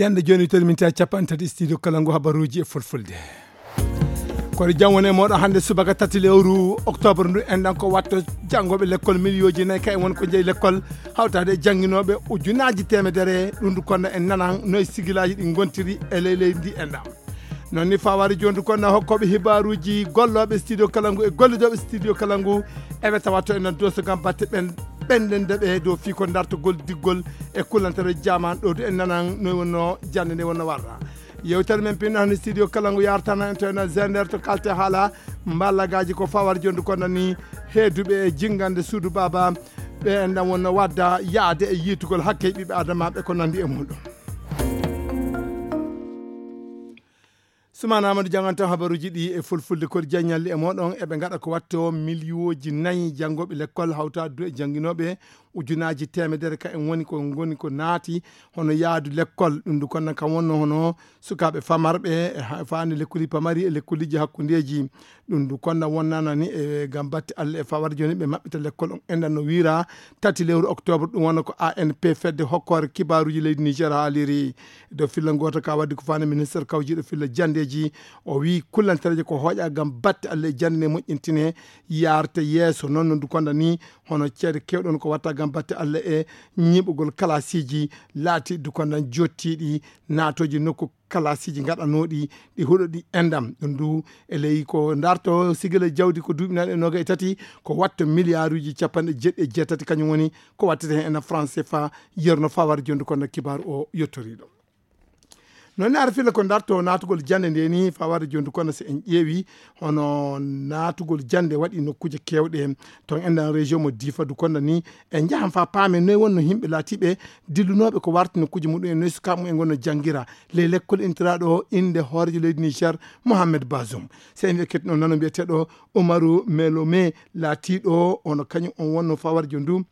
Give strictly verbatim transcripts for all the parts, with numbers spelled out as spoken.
Yande jooni, tawi min tawi capanɗe tati studio kala ngu habaruuji e fulfulde. Kono jam woni e mooɗon hannde subaka tati lewru octobre ndu, en ɗan ko watto janngooɓe lekkol miliyooji nayi ka en woni ko jeyi lekkol, hawtaade e jannginooɓe ujunaaji teemedere. Ɗum ndu kono en nanan no e sigilaaji ɗi ngontiri e ley leydi ndi en ɗan. Noon ni fawaade jooni ndu kono hokkooɓe hibaaruuji, gollooɓe studio kala ngu e gollidooɓe studio kala ngu, eɓe tawa to en ɗan dooso ngam batte ɓen ɓenɗen nde ɓe dow fii ko dartogol diggol e kullantere jaman ɗo du en nanan no wonno jannde nde wonno warra. Yewtere men pinno hannde studio kala ngu yartana en to en zender to kalte haala mballagaaji ko fawaade jooni ndu kono ni heeduɓe e jinngande suudu baaba ɓe en ɗan wonno wadda yaade e yiitugol hakke ɓiɓɓe adamaaɓe ko nanndi e muɗum. Sumaana Amadou jannganto habaruuji ɗi e fulfulde. Kodi jaññalli e mooɗon eɓe ngaɗa ko watto miliyooji nayi janngooɓe lekkol hawtaade du e jannginooɓe ujunaaji teemedere ka en woni ko ngoni ko naati hono yaadu lekkol. Ɗum du kono kam wonno hono sukaaɓe famarɓe e ha-, faande lekkoli pamari e lekkoliji hakkundeeji. Ɗum du kono wonnana ni e ngam batte Allah e fawarde jooni ɓe maɓɓita lekkol on enɗan no wiira tati lewru octobre. Ɗum wonno ko A N P fedde hokkoore kibaaruuji leydi Niger haaliri. Dow filla gooto ka waddi ko faande ministre kawjiiɗo filla janndeeji, o wii kullantereeje ko hooƴa ngam batte Allah e jannde nde moƴƴintine, yaarte yeeso. Noon no du kono ni hono ceede keewɗe on ko watta ngam batte Allah e ñiiɓugol kalaasiiji laati du kono jottiiɗi naatooji nokku kalaasiiji ngaɗanooɗi ɗi huɗo ɗi enɗan. Ɗum du e ley ko darto sigila jawdi ko duuɓi nayi e noga e tati ko watto miliyaaruuji capanɗe jeeɗiɗi e jeetati kañum woni ko wattete heen ena France fa yerno fawar jondu kono kibaaru o yottoriiɗo. Noon ne ara filla ko darto naatugol jannde nde ni fawar jondu kono so en ƴeewi hono naatugol jannde waɗi nokkuuje keewɗe toon enɗan région mo Difa du kono ni en njahan fa paamen noy wonno yimɓe laatiiɓe dillunooɓe ko warti nokkuuje muɗum en noy sukaaɓe mum en ngonno janngira ley lekkol intiraaɗo o innde hooreejo leydi Niger Mohamed Bazoum. So en wiya kettinoo nano mbiyeteeɗo Umaru Melome laatiiɗo hono kañum on wonno fawarjo ndu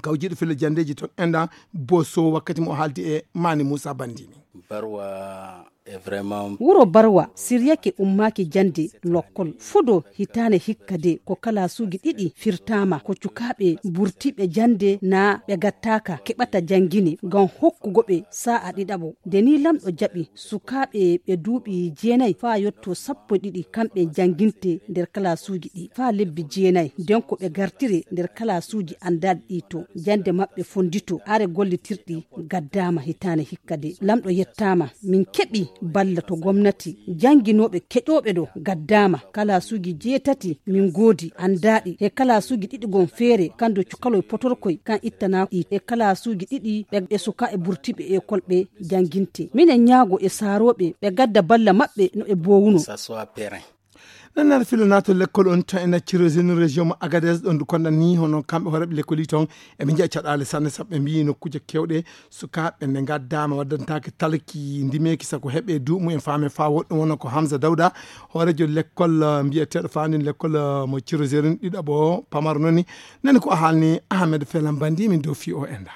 kawjiiɗo filla janndeeji toon enɗan Boso wakkati mo o haaldi e Mani Moussa Bandini. Barwa est vraiment Wuro Barwa siryake ummaaki jannde lokkol. Fudo hitaande hikka de ko kalaasuuji ɗiɗi firtaama ko cukaaɓe burtiiɓe jannde naa ɓe gattaaka keɓata janngine ngam hokkugo ɓe saa'a ɗiɗaɓo. Nde ni lamɗo jaɓi sukaaɓe ɓe duuɓi jeenayi faa yotto sappo e ɗiɗi kamɓe jannginte nder kalaasuuji ɗi faa lebbi jeenayi. Nden ko ɓe gartire nder kalaasuuji anndaaɗi ɗi to jannde maɓɓe fonndito are gollitirɗi gaddaama hitaande hikka de. Lamɗo yettaama. Min keɓi balla to gomnati. Jannginooɓe keƴooɓe ɗo gaddaama. Kalaasuuji jeetati min ngoodi anndaaɗi. He kalaasuuji ɗiɗi gon feere kan do cukaloy potorkoy kan ittanaaki. He kalaasuuji ɗiɗi ɓe, ɓe sukaaɓe burtiiɓe ekol ɓe jannginte. Minen ñaago e saarooɓe ɓe gadda balla maɓɓe no ɓe boowuno. Ça soit périn. Nannar filo nato lekkol on to en accirosini région mo Agadez ɗon du konɗan ni hono kamɓe hooreɓe lekkoli ton eɓe njiya caɗaale sanne sabu ɓe mbiyi nokkuuje kewɗe sukaaɓe nde ngaddaama waddantaake talki ndimeeki sago heɓe duuɓi mumen faame faa woɗɗum wona ko Hamza Dawda hoorejo lekkol eh, mbiyeteeɗo faandin lekkol eh, mo ciroserin ɗiɗaɓo pamaro noni nani ko o haalni Ahmed Felan Bandi min dow fii o enda.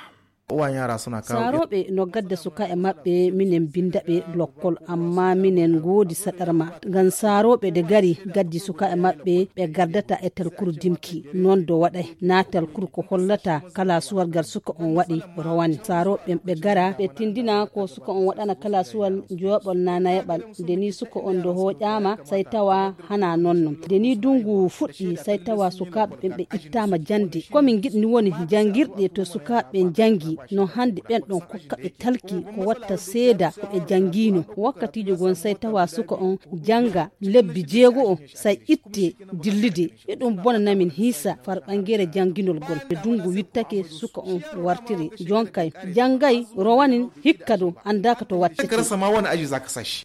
Uwayen yara suna kawo. Saarooɓe no gadda sukaaɓe maɓɓe minen binnda ɓe lokkol amma minen ngoodi saɗarma ngam saarooɓe de gari gaddi sukaaɓe maɓɓe ɓe gardata e talkuru dimki. Noon do waɗay naa talkuru ko hollata kala suwargal suka on waɗi rowani saarooɓe ɓe gara ɓe tindina ko suka on waɗana kala suwal jooɓol naa nayaɓal. Nde ni suka on do hooƴaama say tawa hana noon noon. Nde ni dungu fuɗɗi say tawa sukaaɓe ɓen ɓe ittaama jannde. Ko min ngiɗni woni janngirɗe to sukaaɓe ɓen janngi no hannde ɓen ɗon kokka ɓe talki ko watta seeda ko ɓe janngiino. Wakkatiijo gon say tawa suka on jannga lebbi jeego o say itte dillide. Iɗum bona namin hiisa far ɓangeere jannginol gol. Nde dungu wittake suka on wartiri jonkay janngay rowanin hikka do anndaaka to wattete.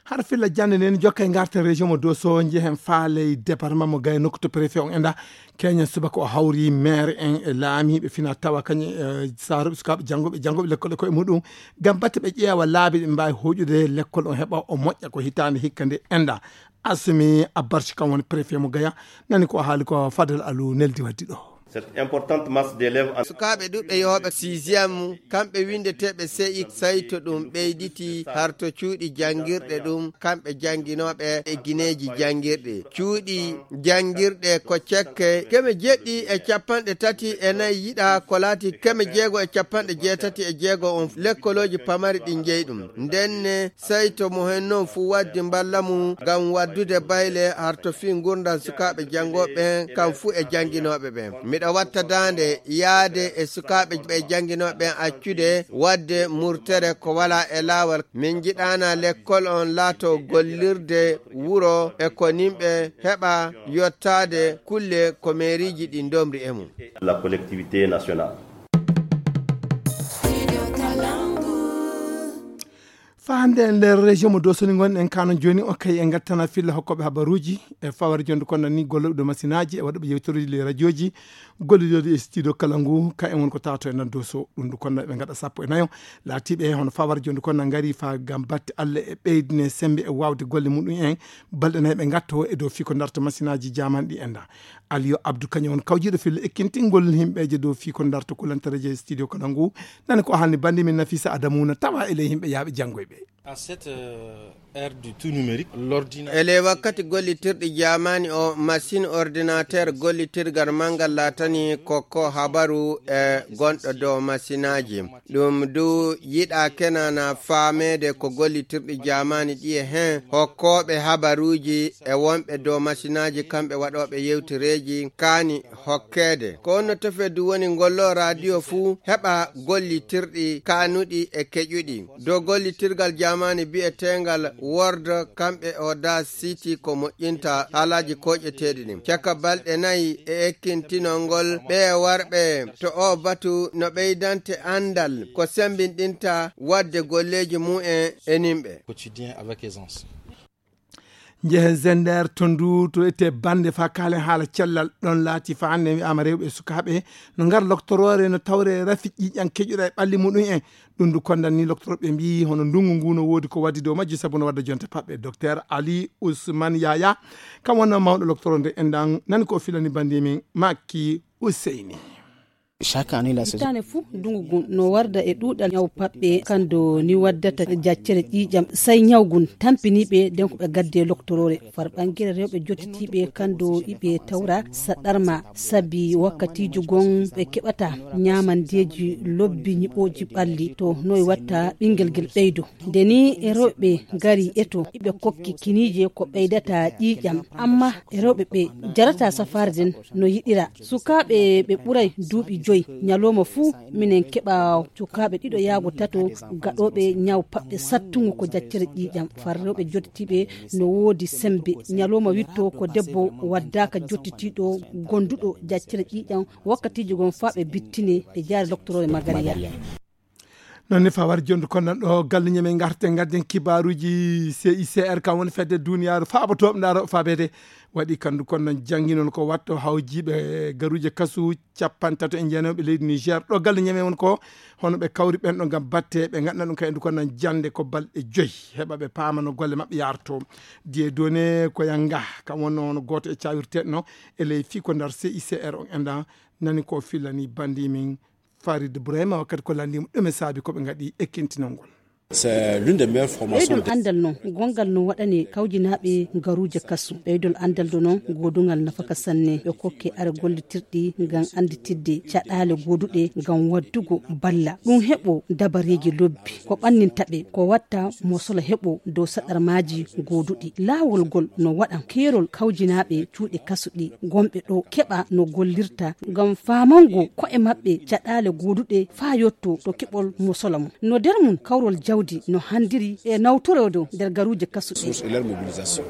Har filla jannde nden jokkay ngarten région mo Doso njehen faaley département mo Gaya nokku to préfet on enda keñen subaka o hawri maire en e laamiiɓe fina tawa kañum e saaruɓe sukaaɓe jannguɓe jannguɓe lekkol e koye muɗum ngam batte ɓe ƴeewa laabi ɓe mbaawi hoƴude lekkol on heɓa o moƴƴa ko hitaande hikka nde enda. Asumi Abbarci kam woni préfet mo Gaya nani ko o haali ko Fadel Alou neldi waddi ɗo. Cette importante masse d'élèves en... Sukaaɓe ɗuɓɓe yooɓe sixième, kamɓe winndeteeɓe C I, sayto ɗum ɓeyditi harto cuuɗi janngirɗe ɗum, kamɓe jannginooɓe e gineeji janngirɗi. Cuuɗi janngirɗe ko cekke keme jeɗɗi e capanɗe tati e nayi yiɗa ko laati keme jeego e capanɗe jeetati e jeego on. Lekkolooji pamari ɗin jeyi ɗum. Ndenne, sayto mo hen noon fuu waddi mballa mum ngam waddude bayle harto fii ngurndan sukaaɓe janngooɓe ɓen, kam fuu e jannginooɓe ɓen. Miɗo watta daande yaade e sukaaɓe ɓe jannginooɓe ɓen accude waɗde murtere ko walaa e laawol. Min njiɗaana lekkol on laato gollirde wuro e ko nimɓe heɓa yottaade kulle ko meeriiji ɗi ndomri e mum. La collectivité nationale. Faa hannde e nder région mo Dosoni ngon en kanon jooni o kay e ngattana filla hokkooɓe habaruuji e fawar jonde kono ni gollooɓe ɗo masinaaji e waɗuɓe yewteruuji ley radiooji gollidooɗi e studio kala ngu ka en won ko tawato e nan Doso ɗum ndu kono ɓe ngaɗa sappo e nayo laatiiɓe hono fawar jonde kono ngari fa ngam batte Allah e ɓeydine sembe e waawde golle muɗum en balɗe nayi ɓe ngatto e dow fii ko darto masinaaji jaman ɗi enda. Aliyo Abdou kañum won kawjiiɗo filla ekkintingol himɓeeje dow fii ko darto kulantareeje e studio kala ngu nani ko haalni bandi min Nafisa Adamou na tawa e ley himɓe yaaɓe janngoyɓe. À cette euh, ère du tout numérique, l'ordinateur... Ele wakkati gollitirɗi jaamaani o, machine ordinateur gollitirgal manngal laatani ko ko habaru e gonɗo dow masinaaji. Ɗum du yiɗa kenana faameede ko gollitirɗi jaamaani ɗi e hen hokkooɓe habaruuji e wonɓe dow masinaaji kamɓe waɗooɓe yewtereeji kaani hokkeede. Ko honno tefeddu woni ngollo radio fuu heɓa gollitirɗi kaanuɗi e keƴuɗi? Dow gollitirgal jaamaani bi'eteengal Word kamɓe Audacity ko moƴƴinta haalaaji koƴeteeɗi ɗin. Caka balɗe nayi e ekkintinol ngol, ɓee warɓe to oo batu no ɓeydante anndal ko semmbinɗinta waɗde golleeji mum en e nimɓe. Quotidien avec aisance. Njehen Zender to ndu to ete bannde fa kaalen haala cellal ɗon laati fa hannde wi'aama rewɓe e sukaaɓe no ngar loktoroore no tawre rafi ƴiiƴan keƴuɗa e ɓalli muɗum en. Ɗum ndu kondan ni loktorooɓe mbiyi hono ndungu ngu no woodi ko waddi dow majji sabu no wadda jonte paɓɓe. Docteur Ali Ousmane Yaya kam wonnoo mawɗo loktoro nde enɗan nani ko o filani bannde min Makki Useyni. Chaque année la saison. Hitaande fuu ndungu ngun no warda e ɗuuɗal ñaw paɓɓe kando ni waddata jaccere ƴiiƴam. Say ñaw ngun tampiniiɓe den ko ɓe gaddi e loktoroore far ɓangere rewɓe jottitiiɓe kando iɓe tawra saɗarma sabi wakkatiiji gon ɓe keɓata ñaamandeeji lobbi ñiɓooji ɓalli to noy watta ɓingel ngel ɓeydo. Nde ni e rewɓe ngari eto iɓe kokki kiniije ko ɓeydata ƴiiƴam amma e rewɓe ɓe jarata safaare den no yiɗira. Sukaaɓe ɓe ɓuray duuɓi joy ñalooma fuu minen keɓa sukaaɓe ɗiɗo yaago tato gaɗooɓe ñaw paɓɓe sattungo ko jaccere ƴiiƴam far rewɓe jottitiiɓe no woodi sembe ñalooma witto ko debbo waddaaka jottitiiɗo gonduɗo jaccere ƴiiƴam wakkatiiji gon faa ɓe bittine ɓe jaari loktoroore magariya. Noon ne fawar jondu kon nan ɗo galle ñamen garten gadden kibaruji C I C R kam woni fedde duniyaaru faabo toɓe ndaaro faabede waɗi kandu kon nan janngi noon ko watto hawjiiɓe garuuje kasu capantato e jeenayo ɓe leydi Niger ɗo galle ñamen won ko hono ɓe kawri ɓen ɗo ngam batte ɓe ngaɗna ɗum kay ndu kon nan jannde ko balɗe joyi heɓa ɓe paama no golle maɓɓe yarto diye done ko yanga kam wonno hono gooto e cawirteɗe no e ley fii ko ndar C I C R on enɗan nani ko fillani bandi min Farid Bourema wakkati ko lanndii mo ɗume saabi ko ɓe ngaɗi ekkintinol ngol. C'est l'une des meilleures formations. Ɓeydol anndal noon gonngal no waɗane kawjinaaɓe garuuje kasu ɓeydol anndal do noon goodungal nafaka sanne ɓe kokke are gollitirɗi ngam annditidde caɗaale gooduɗe ngam waddugo balla ɗum heɓo dabareeji lobbi ko ɓanninta ɓe ko watta mo sola heɓo dow saɗarmaaji gooduɗi laawol ngol no waɗa keerol kawjinaaɓe cuuɗi kasuɗi gonɓe ɗo keɓa no gollirta ngam faamango ko'e maɓɓe caɗaale gooduɗe faa yotto to keɓol mo sola mum no der mum kawrol jawdi no handiri e nawtoroodo nder garuuje kasuɗe. Source et leur mobilisation.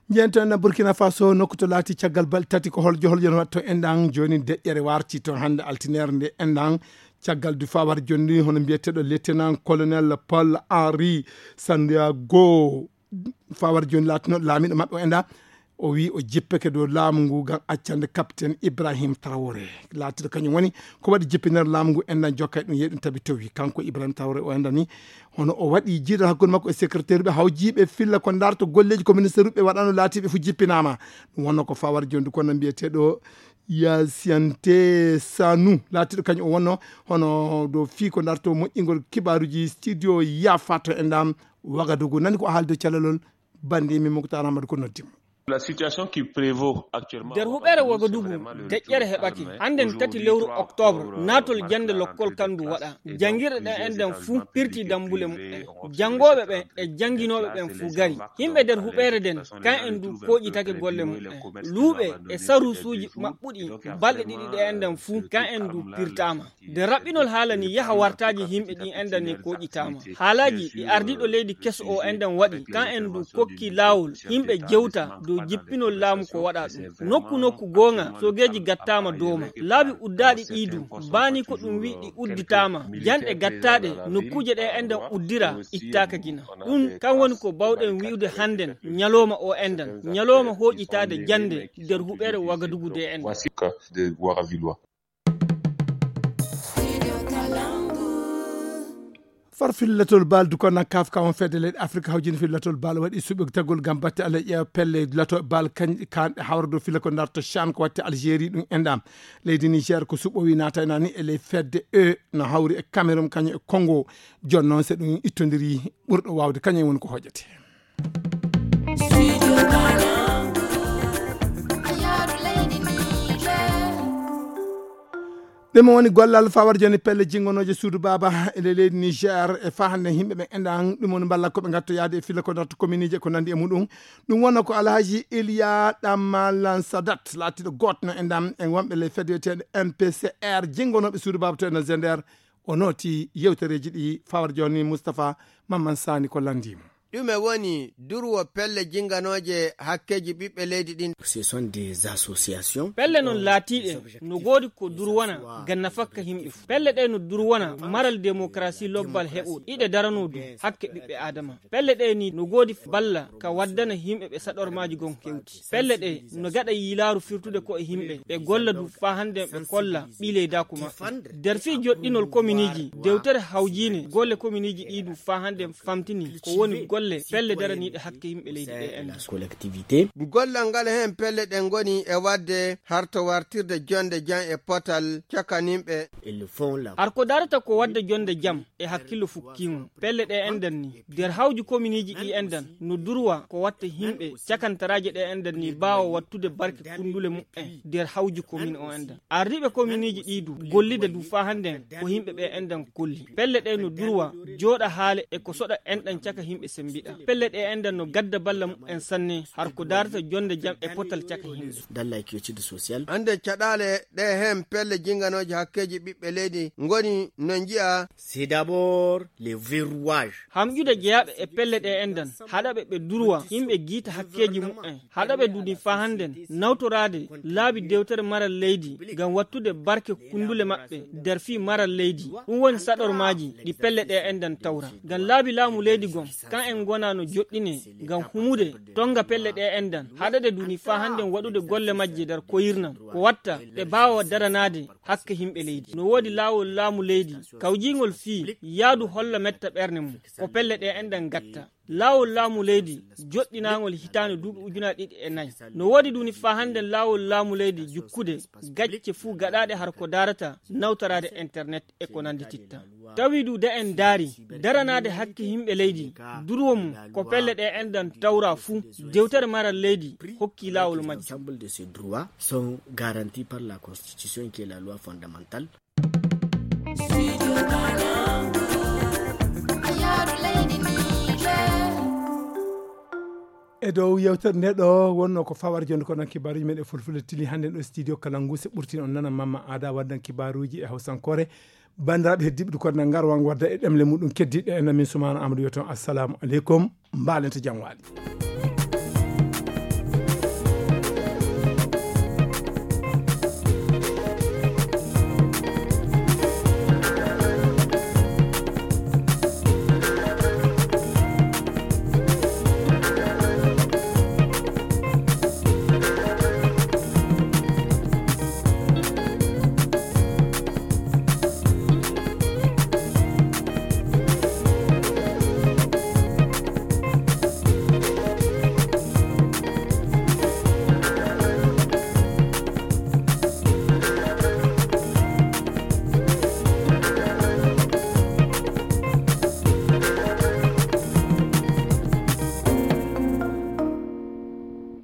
Njeenten na Burkina Faso nokku to laati caggal balɗe tati ko holjo holjo no waɗto enɗan jooni deƴƴere warti toon hannde altineere nde enɗan caggal du fawar jonni hono mbiyeteeɗo lieutenant colonel Paul Henri Santiago fawar jonni laatino laamiɗo maɓɓe o enɗa o wi o jippeke dow laamu ngu ngam accande capitaine Ibrahim Traoré laatiɗo kañum woni ko waɗi jippinere laamu ngu enɗan jokka e ɗum yehi ɗum tabi towi kanko Ibrahim Traoré o enɗani hono o waɗi jiiɗal hakkunde makko e secrétaire ɓe hawjiiɓe filla ko darto golleeji ko ministre ɓe waɗano laatiɓe fof jippinama ɗum wonno ko fawar jonni kono mbiyeteɗo Yasiyante Sanu, laatiiɗo kañum o wonno hono dow fii ko darto moƴƴingol kibaaruuji studio Yafa to enɗam Wagadugu. Nani ko haalde calalol banndi mi Muktar Amadou ko noddi mo. La situation qui prévaut actuellement nder huɓeere Wagadugu, deƴƴere heɓake. Hannden tati lewru octobre, naatol jannde lokkol kandu waɗa. Janngirɗe ɗen enɗam fuu pirti dammbule mumen. Janngooɓe ɓen e jannginooɓe ɓen fuu gari. Yimɓe nder huɓeere nden, kan en du kooƴitake golle mumen. Luuɓe e saruusuuji maɓɓuɗi balɗe ɗiɗi ɗe enɗam fuu, kan en du pirtaama. Nde raɓɓinol haala ni yaha wartaaji yimɓe ɗin enɗam ni kooƴitaama. Haalaaji ɗi ardiiɗo leydi keso o enɗam waɗi, kan en du kokki laawol yimɓe jewta dow jippinol laamu ko waɗa ɗum. Nokku nokku goonga, soogeeji gattaama dooma. Laabi uddaaɗi ɗii du, baani ko ɗum wi'i ɗi udditaama, janɗe gattaaɗe, nokkuuje ɗe enɗam uddira, ittaaka gina. Ɗum kan woni ko bawɗen wi'ude hannden, ñalooma o enɗam, ñalooma hooƴitaade jannde nder huɓeere Wagadugu de enɗam. Wasika de Waravilwa. Far fillatol bal du kono kaf ka on fedde leyɗe Afrika hawjini fillatol bal waɗi suɓɓitagol ngam batte Allah ƴeewa pelle lato bal kañ kanɗe hawra dow fila ko darto chan ko watte Algérie ɗum enɗam. Leydi Niger ko suɓɓowi naataynani e ley fedde e no hawri e Cameroun kañum e Congo. Jooni noon so ɗum ittondiri ɓurɗo waawde kañum woni ko hoƴete. Ɗum woni gollal fawar joni pelle jingonooje suudu baaba e ley leydi Niger e faa hannde yimɓe ɓe enɗan ɗum woni mballa ko ɓe ngatto yaade e filla ko darto kominiiji e ko nandi e muɗum. Ɗum wonno ko Alhaji Iliya Ɗammalan Sadat laatiiɗo gooto no enɗan e wonɓe ley fedde wiyeteende M P C R jingonooɓe suudu baaba to e no Zender. O nooti yewtereeji ɗi fawar joni Moustapha Mamman Sani ko lanndii mo. Ɗume woni durwo pelle jinganooje hakkeeji ɓiɓɓe leydi ɗin? Ce sont des associations. Pelle non laatiiɗe no goodi ko durwana ngam nafakka yimɓe fof. Pelle ɗe no durwana maral démocratie lobbal heɓuɗo iɗe daranoo du hakke ɓiɓɓe Aadama. Pelle ɗe ni no goodi balla ka waddana yimɓe ɓe saɗormaaji gon hewti. Pelle ɗe no gaɗa yiilaaru firtude ko e yimɓe, ɓe golla du faa hannde ɓe kolla ɓii leydaaku maɓɓe. Nder fii joɗɗinol kominiiji, dewtere hawjiine golle kominiiji ɗii du faa hannde famtini ko woni golle pelle daraniiɗe hakke yimɓe leydi ɗe enɗan. Gollal ngal heen pelle ɗe ngoni e waɗde harto wartirde jonde jam e potal cakaninɓe. Har ko darata ko waɗde jonde jam e hakkillo fukkiimo. Pelle ɗe enɗan ni, nder hawju kominiiji ɗi enɗan, no durwa ko watta yimɓe cakantaraaje ɗe enɗan ni baawa wattude barke kunndule mumen nder hawju komin o enɗan. Ardiiɓe kominiiji ɗi du, gollida du faa hannden ko yimɓe ɓe enɗan kolli. Pelle ɗe no durwa jooɗa haale e ko soɗa enɗan caka yimɓe sembiɗa. Pelle ɗe enɗan no gadda balla mumen sanne, har ko darata jonde jam e potal caka yimɓe. Dans la quiétude sociale. Hannde caɗaale ɗe heen pelle jinganooje hakkeeji ɓiɓɓe leydi ngoni no nji'a. C'est d'abord les verrouages. Hamƴude jeyaaɓe e pelle ɗe enɗan, haɗaɓe ɓe durwa, yimɓe giita hakkeeji mumen, haɗaɓe duni faa hannden, nawtoraade laabi dewtere maral leydi, ngam wattude barke kunndule maɓɓe nder fii maral leydi. Ɗum woni saɗormaaji ɗi pelle ɗe enɗan tawra. Ngam laabi laamu leydi gon, kan en ngona no joɗɗine, ngam humude, tonga pelle ɗe enɗan, haɗade duni faa hannden waɗude golle majje nder koyirnam, ko watta, ɓe baawa daranaade hakke yimɓe leydi. No woodi laawol laamu leydi, kawjiingol fii yaadu holla metta ɓernde mum, ko pelle ɗe enɗan gatta. Laawol laamu leydi joɗɗinaangol hitaande duuɓi ujunaaji ɗiɗi e nayi. No woodi duni faa hannden laawol laamu leydi jukkude gacce fuu gaɗaaɗe har ko darata nawtoraade internet e ko nanndititta. Tawi du de en ndaari daranaade hakke yimɓe leydi, durwo mum ko pelle ɗe enɗan tawra fuu, dewtere maral leydi hokki laawol majje. L'ensemble de ces droits sont garantis par la Constitution qui est la loi fondamentale. E dow yewtere nde ɗo wonno ko fawar jonde ko ɗon kibaaruji men e fulfulde tili hannden ɗo studio Kalangu se ɓurtin on nana Mamma Ada waddan kibaaruji e hawsankoore. Banndiraaɓe heddiiɓe du koɗna ngar wan wadda e ɗemle muɗum keddiɗe en min Sumaana Amadou wiyaton assalamu aleykum. Mbaalente jam waali.